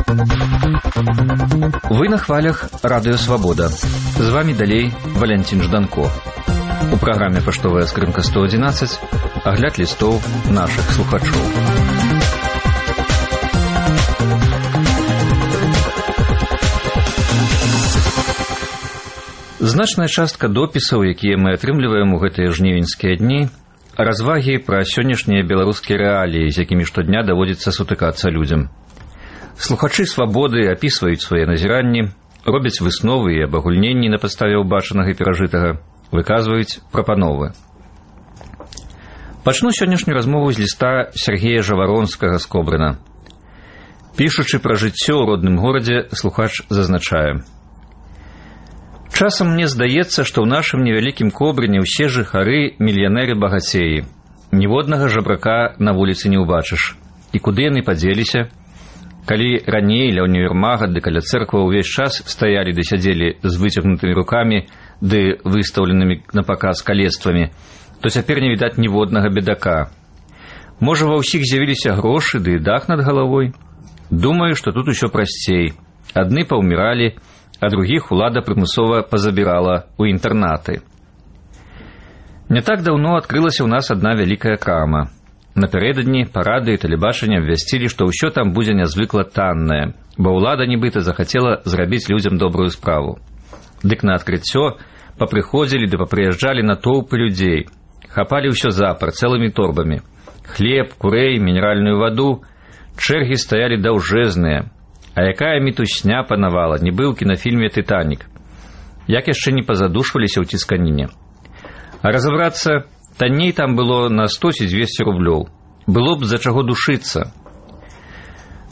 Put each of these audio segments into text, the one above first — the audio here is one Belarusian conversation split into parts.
Вы на хвалях Радыё Свабода. З вами далей Валянцін Жданко. У праграме «Паштовая скрынка 111» агляд лістоў нашых слухачоў. Значная частка допісаў, якія мы атрымліваем у гэтыя жнівеньскія дні, развагі пра сённяшнія беларускія рэаліі, з якімі штодня даводзіцца сутыкацца людзям. Слухачы «Свабоды» апісваюць свае назіранні, робяць высновы і абагульненні на падставе ўбачанага і перажытага, выказваюць прапановы. Пачну сённяшнюю размову з ліста Сергея Жаваронскага з Кобрына. Пішучы пра жыццё ў родным горадзе, слухач зазначае: «Часам мне здаецца, што ў нашым невялікім Кобрыне ўсе жыхары мільянеры-багацеі. Ніводнага жабрака на вуліцы не ўбачыш. І куды яны падзеліся? Калі раней ля універмага ды каля цэрква ўвесь час стаялі ды сядзелі з выцягнутымі рукамі ды выстаўленымі на паказ калецтвамі, то цяпер не відаць ніводнага бедака. Можа, ва ўсіх з'явіліся грошы ды дах над галавой? Думаю, што тут усё прасцей. Адны паўміралі, а другіх улада прымусова пазабірала ў інтэрнаты. Не так даўно адкрылася ў нас адна вялікая крама. Напярэдадні па радыё і тэлебачанні абвясцілі, што ўсё там будзе нязвыкла таннае, бо ўлада нібыта захацела зрабіць людзям добрую справу. Дык на адкрыццё папрыходзілі ды папрыязджалі натоўпы людзей, хапалі ўсё запар цэлымі торбамі. Хлеб, курэй, мінеральную ваду, чэргі стаялі даўжэзныя. А якая мітусня панавала, нібы ў кінафільме «Тытанік». Як яшчэ не пазадушваліся ў цісканіне. А разабрацца, танней там было на 100 ці 200 рублёў. Было б за чаго душыцца.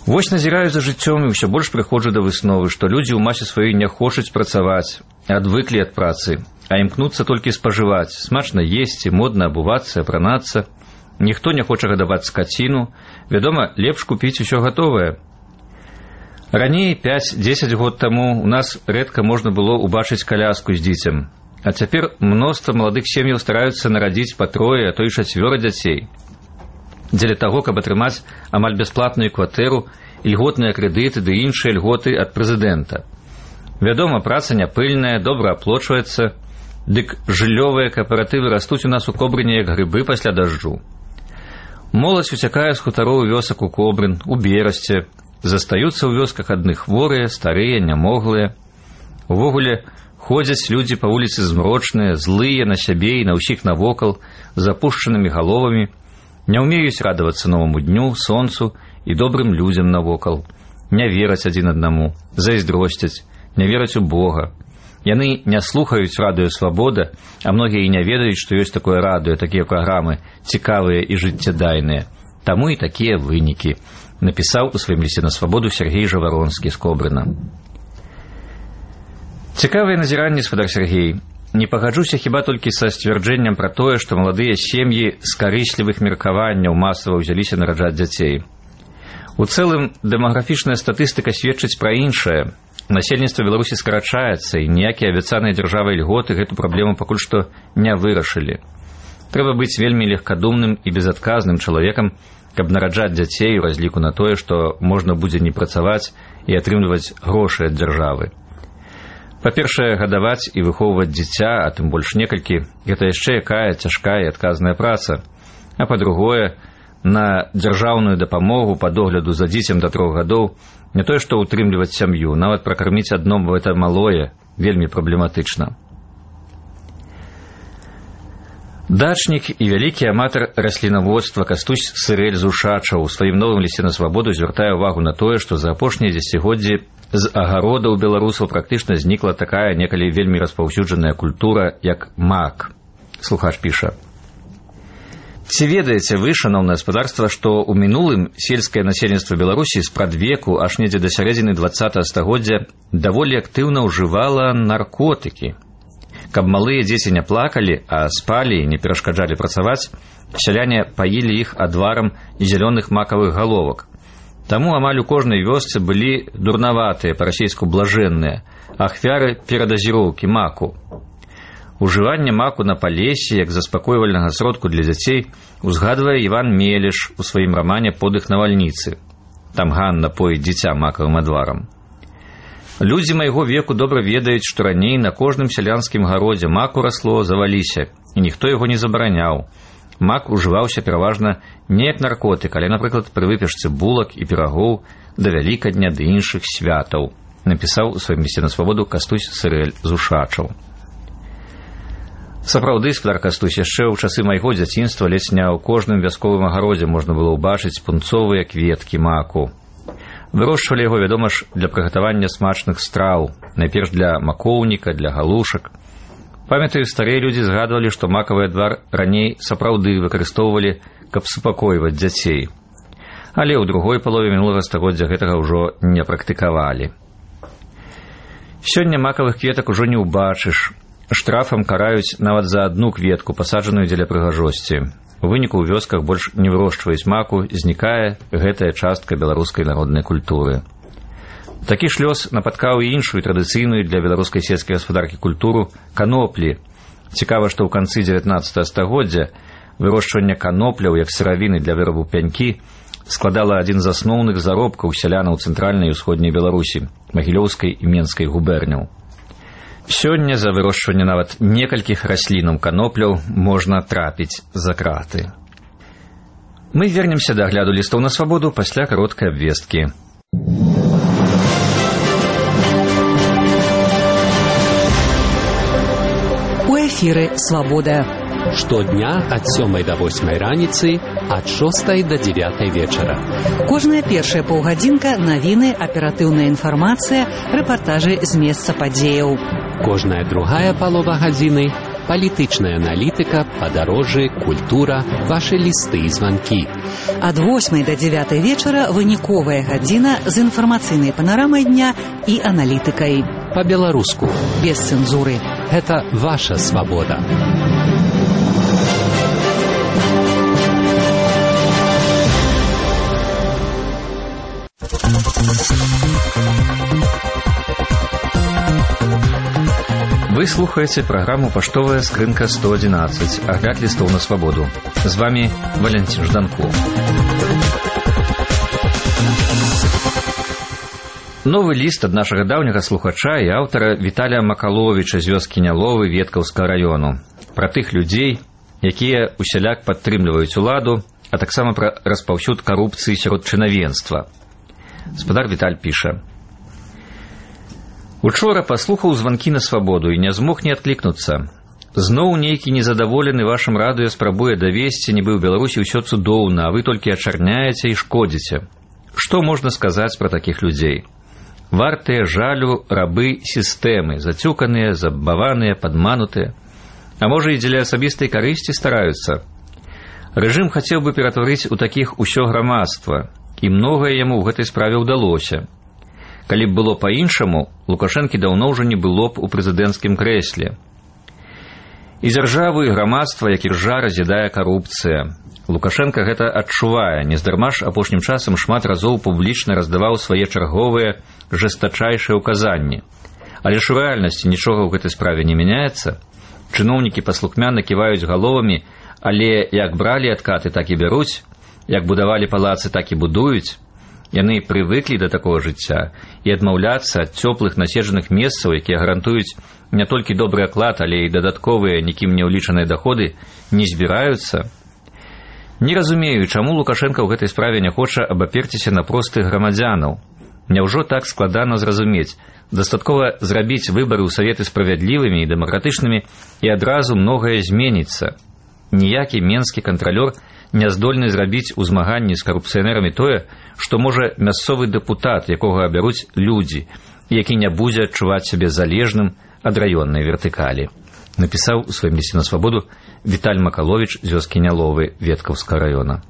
Вось назіраю за жыццём і ўсё больш прыходжу да высновы, што людзі ў масе сваёй не хочуць працаваць, адвыклі ад працы, а імкнуцца толькі спажываць, смачна есці, модна абувацца, апранацца. Ніхто не хоча гадаваць скаціну, вядома, лепш купіць усё гатовае. Раней, 5-10 год таму, у нас рэдка можна было ўбачыць каляску з дзіцем. А цяпер мноства маладых сем'яў стараюцца нарадзіць па 3, а то і 4 дзяцей. Дзеля таго, каб атрымаць амаль бясплатную кватэру, ільготныя крэдыты ды іншыя льготы ад прэзідэнта. Вядома, праца няпыльная, добра аплочваецца, дык жыллёвыя кааператывы растуць у нас у Кобрыне як грыбы пасля дажджу. Моладзь уцякае з хутароў вёсак у Кобрын, у Берасце, застаюцца ў вёсках адны хворыя, старыя, нямоглыя. Увогуле, ходзяць людзі па вуліцы змрочныя, злыя на сябе і на ўсіх навокал, з апушчанымі галовамі, не ўмеюць радавацца новаму дню, сонцу і добрым людзям навокал, не вераць адзін аднаму, зайздросцяць, не вераць у Бога. Яны не слухаюць радыё «Свабода», а многія і не ведаюць, што ёсць такое радыё, такія праграмы, цікавыя і жыццядайныя. Таму і такія вынікі, напісаў у сваім лісце на «Свабоду» Сергей Жаваронскі з Кобрына. Цікавыя назіранні, спадар Сергей. Не пагаджуся хіба толькі са сцвярджэннем пра тое, што маладыя сем'і з карыслівых меркаванняў масава ўзяліся нараджаць дзяцей. У цэлым, дэмаграфічная статыстыка сведчыць пра іншае. Насельніцтва Беларусі скарачаецца, і ніякія абяцаныя дзяржавай льготы гэту праблему пакуль што не вырашылі. Трэба быць вельмі легкадумным і безадказным чалавекам, каб нараджаць дзяцей у разліку на тое, што можна будзе не працаваць і атрымліваць грошы ад дзяржавы. Па-першае, гадаваць і выхоўваць дзіця, а тым больш некалькі, гэта яшчэ якая цяжкая і адказная праца. А па-другое, на дзяржаўную дапамогу па догляду за дзіцем да 3 гадоў не тое, што ўтрымліваць сям'ю, нават пракарміць адно гэта малое вельмі праблематычна. Дачнік і вялікі аматар раслінаводства Кастусь Сырэль з Ушачаў у сваім новым лісце на «Свабоду» звяртае ўвагу на тое, што за апошнія дзесяцігоддзі з агародаў беларусаў практычна знікла такая некалі вельмі распаўсюджаная культура, як мак. Слухач піша: «Ці ведаеце вы, шаноўнае гаспадарства, што ў мінулым сельскае насельніцтва Беларусі спрадвеку аж недзе да сярэдзіны 20 стагоддзя даволі актыўна ўжывала наркотыкі? Каб малыя дзеці не плакалі, а спалі і не перашкаджалі працаваць, сяляне паілі іх адварам зялёных макавых галовак. Таму амаль у кожнай вёсцы былі дурнаватыя, па-расейску блажэнныя, ахвяры перадазіроўкі маку. Ужыванне маку на палесе як заспакойвальнага сродку для дзяцей узгадвае Іван Мелеш у сваім рамане «Подых навальніцы». там Ганна поіць дзіця макавым адварам. Людзі майго веку добра ведаюць, што раней на кожным сялянскім гародзе маку расло заваліся, і ніхто яго не забараняў. Мак ужываўся пераважна не як наркотык, але, напрыклад, пры выпечцы булак і пірагоў да Вялікадня ды іншых святаў, напісаў у сваім лісце на свабоду Кастусь Сырэль з Ушачаў. Сапраўды, спадар Кастусь, яшчэ ў часы майго дзяцінства ледзь не ў кожным вясковым агародзе можна было ўбачыць пунцовыя кветкі маку. Вырошчвалі яго, вядома ж, для прыгатавання смачных страў, найперш для макоўніка, для галушак. Памятаю, старыя людзі згадвалі, што макавы адвар раней сапраўды выкарыстоўвалі, каб супакойваць дзяцей. Але ў другой палове мінулага стагоддзя гэтага ўжо не практыкавалі. Сёння макавых кветак ужо не ўбачыш. Штрафам караюць нават за адну кветку, пасаджаную дзеля прыгажосці. У выніку ў вёсках больш не вырошчваюць маку, знікае гэтая частка беларускай народнай культуры. Такі ж лёс напаткаў і іншую традыцыйную для беларускай сельскай гаспадаркі культуру каноплі. Цікава, што ў канцы 19 стагоддзя вырошчванне канопляў як сыравіны для вырабу пянькі складала адзін з асноўных заробкаў сялянаў цэнтральнай і ўсходняй Беларусі, Магілёўскай і Менскай губерняў. Сёння за вырошчванне нават некалькіх раслінаў канопляў можна трапіць за краты. Мы вернемся да агляду лістоў на свабоду пасля кароткай абвесткі. У эфіры «Свабода». Штодня ад 7 до 8 раніцы, ад 6 до 9 вечара. Кожная першая паўгадзінка навіны, аператыўная інфармацыя, рэпартажы з месца падзеяў. Кожная другая палова гадзіны – палітычная аналітыка, падарожжы, культура, вашы лісты і званкі. Ад 8 до 9 вечара выніковая гадзіна з інфармацыйнай панарамай дня і аналітыкай. Па-беларуску. Без цэнзуры. Гэта ваша свабода. Вы слухаеце праграму «Паштовая скрынка 111», агляд лістоў на свабоду. З вами Валентин Жданков. Новы ліст ад нашага даўняга слухача і аўтара Віталія Макаловіча з вёскі Няловы Веткаўскага раёну. Пра тых людзей, якія усяляк падтрымліваюць уладу, а таксама пра распаўсюд карупцыі сярод чынавенства. Спадар Віталь піша: «Учора паслухаў званкі на свабоду і не змог не адклікнуцца. Зноў нейкі незадаволены вашым радыё спрабуе давесці, нібы ў Беларусі ўсё цудоўна, а вы толькі ачарняеце і шкодзіце. Што можна сказаць пра такіх людзей? Вартыя жалю рабы сістэмы, зацюканыя, забаваныя, падманутыя. А можа, і дзеля асабістай карысці стараюцца. Рэжым хацеў бы ператварыць у такіх усё грамадства, і многае яму ў гэтай справе ўдалося. Калі б было па-іншаму, Лукашэнкі даўно ўжо не было б у прэзідэнцкім крэсле. І дзяржаву, і грамадства, як іржа, раз'ядае карупцыя. Лукашенка гэта адчувае, нездарма ж апошнім часам шмат разоў публічна раздаваў свае чарговыя жэстачайшыя ўказанні. Але ж у рэальнасці нічога ў гэтай справе не мяняецца. Чыноўнікі паслухмяна ківаюць галовамі, але як бралі адкаты, так і бяруць, як будавалі палацы, так і будуюць. Яны прывыклі да такога жыцця і адмаўляцца ад цёплых наседжаных месцаў, якія гарантуюць не толькі добры аклад, але і дадатковыя, нікім не ўлічаныя даходы, не збіраюцца. Не разумею, чаму Лукашенка ў гэтай справе не хоча абаперціся на простых грамадзянаў. Няўжо так складана зразумець? Дастаткова зрабіць выбары ў Саветы справядлівымі і дэмакратычнымі, і адразу многае зменіцца. Ніякі менскі кантралёр не здольны зрабіць у змаганні з карупцыянерамі тое, што можа мясцовы дэпутат, якога абяруць людзі, які не будзе адчуваць сябе залежным ад раённай вертыкалі. Напісаў у сваім лісце на свабоду Віталь Макаловіч з вёскі Няловы Веткаўскага раёна.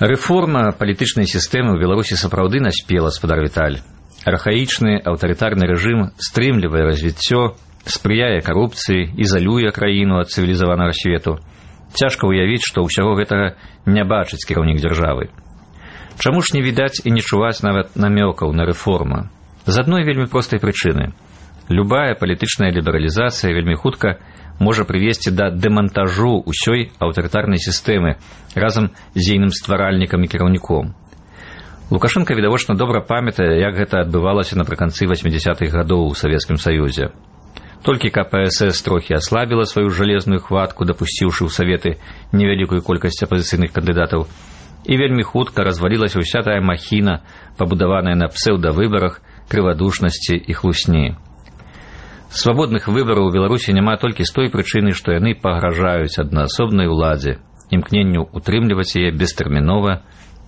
Рэформа палітычнай сістэмы ў Беларусі сапраўды наспела, спадар Віталь. Архаічны аўтарытарны рэжым стрымлівае развіццё, спрыяе карупцыі, ізалюе краіну ад цывілізаванага свету. Цяжка ўявіць, што ўсяго гэтага не бачыць кіраўнік дзяржавы. Чаму ж не відаць і не чуваць нават намёкаў на рэформу? З адной вельмі простай прычыны. Любая палітычная лібералізацыя вельмі хутка можа прывесці да дэмантажу ўсёй аўтарытарнай сістэмы разам з ейным стваральнікам і кіраўніком. Лукашенко відавочна добра памятае, як гэта адбывалася напрыканцы 80-х гадоў у Савецкім Саюзе. Толькі КПСС трохі аслабіла сваю жалезную хватку, дапусціўшы ў Саветы невялікую колькасць апазіцыйных кандыдатаў, і вельмі хутка развалілася ўся тая махіна, пабудаваная на псеўдавыбарах, крывадушнасці і хлусні. Свабодных выбараў у Беларусі няма толькі з той прычыны, што яны пагражаюць аднаасобнай уладзе, імкненню утрымліваць яе бестэрмінова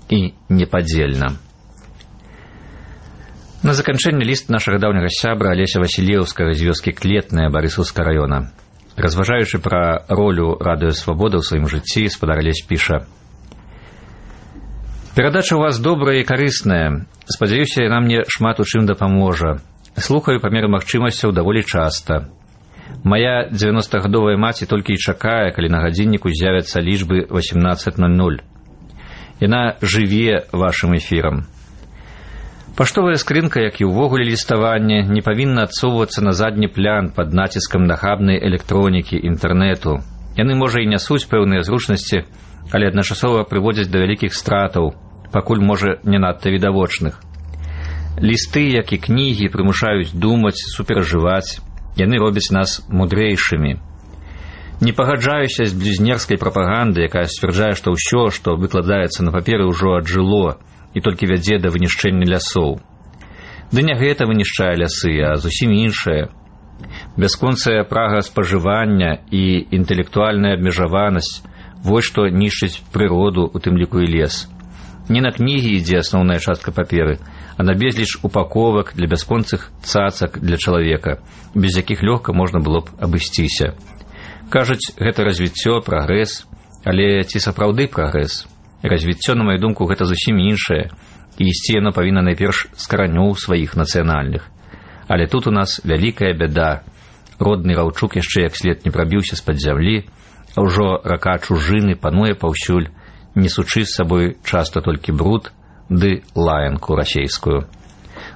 і непадзельна. На заканчэнне ліст нашага даўняга сябра Алеся Васілеўскага з вёскі Клетная Барысаўскага раёна. Разважаючы пра ролю Радыё Свабода ў сваім жыцці, спадар Алесь піша: «Перадача ў вас добрая і карысная. Спадзяюся, яна мне шмат у чым дапаможа. Слухаю па меры магчымасцяў даволі часта. Мая 90-гадовая маці толькі і чакае, калі на гадзінніку з'явяцца лічбы 18:00. Яна жыве вашым эфірам. Паштовая скрынка, як і ўвогуле ліставанне, не павінна адсоўвацца на задні план пад націскам нахабнай электронікі, інтэрнэту. Яны, можа, і нясуць пэўныя зручнасці, але адначасова прыводзяць да вялікіх стратаў, пакуль, можа, не надта відавочных. Лісты, як і кнігі, прымушаюць думаць, суперажываць. Яны робяць нас мудрэйшымі. Не пагаджаюся з блюзнерскай прапагандай, якая сцвярджае, што ўсё, што выкладаецца на паперы, ўжо аджыло і толькі вядзе да вынішчэння лясоў. Ды не гэта вынішчае лясы, а зусім іншае. Бясконцая прага спажывання і інтэлектуальная абмежаванасць – вось што нішчыць прыроду, у тым ліку і лес. Не на кнігі ідзе асноўная частка паперы, а на безліч упаковак для бясконцых цацак для чалавека, без якіх лёгка можна было б абысціся. Кажуць, гэта развіццё, прагрэс, але ці сапраўды прагрэс? Развіццё, на маю думку, гэта зусім іншае, і ісці яно павінна найперш з каранёў сваіх нацыянальных. Але тут у нас вялікая бяда. Родны раўчук яшчэ як след не прабіўся з-пад зямлі, а ўжо рака чужыны пануе паўсюль, несучы з сабой часта толькі бруд ды лаянку расейскую.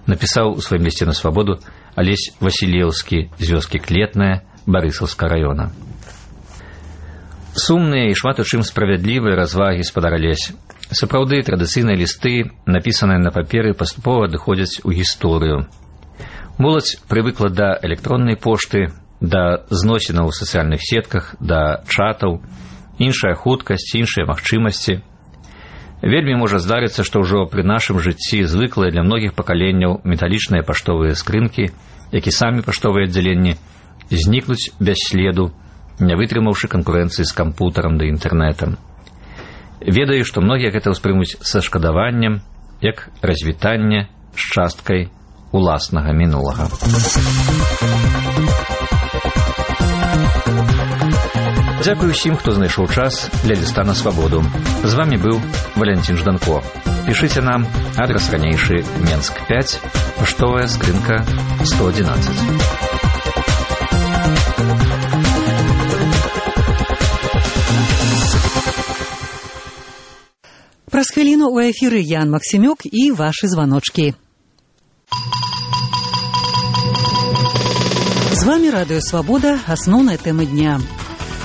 Напісаў у сваім лісце на Свабоду Алесь Васілеўскі з вёскі Клетная Барысаўскага раёна. Сумныя і шмат у чым справядлівыя развагі, спадар Алесь. Сапраўды, традыцыйныя лісты, напісаныя на паперы, паступова адыходзяць у гісторыю. Моладзь прывыкла да электроннай пошты, да зносінаў у сацыяльных сетках, да чатаў, іншая хуткасць, іншыя магчымасці. Вельмі можа здарыцца, што ўжо пры нашым жыцці звыклыя для многіх пакаленняў металічныя паштовыя скрынкі, як і самі паштовыя аддзяленні, знікнуць без следу, не вытрымаўшы канкурэнцыі з кампутарам ды інтэрнэтам. Ведаю, што многія гэта ўспрымуць са шкадаваннем, як развітанне з часткай уласнага мінулага. Дзякую ўсім, хто знайшоў час для ліста на Свабоду. З вамі быў Валянцін Жданко. Пішыце нам, адрас ранейшы Менск 5, паштовая скрынка 111. Праз хвіліну ў эфіры Ян Максімюк і вашы званочкі. З вамі Радыё Свабода, асноўная тэма дня.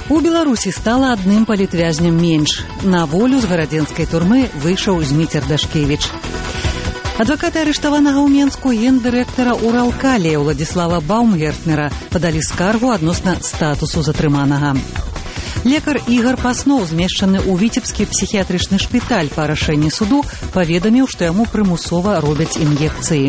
У Беларусі стала адным палітвязням менш. На волю з гарадзенскай турмы выйшаў Зміцер Дашкевіч. Адвакаты арыштаванага ў Менску гендырэктара Уралкалія Уладзіслава Баумгертнера падалі скаргу адносна статусу затрыманага. Лекар Ігар Паснов, змешчаны ў Віцебскі псіхіятрычны шпіталь па рашэнні суду, паведаміў, што яму прымусова робяць ін'екцыі.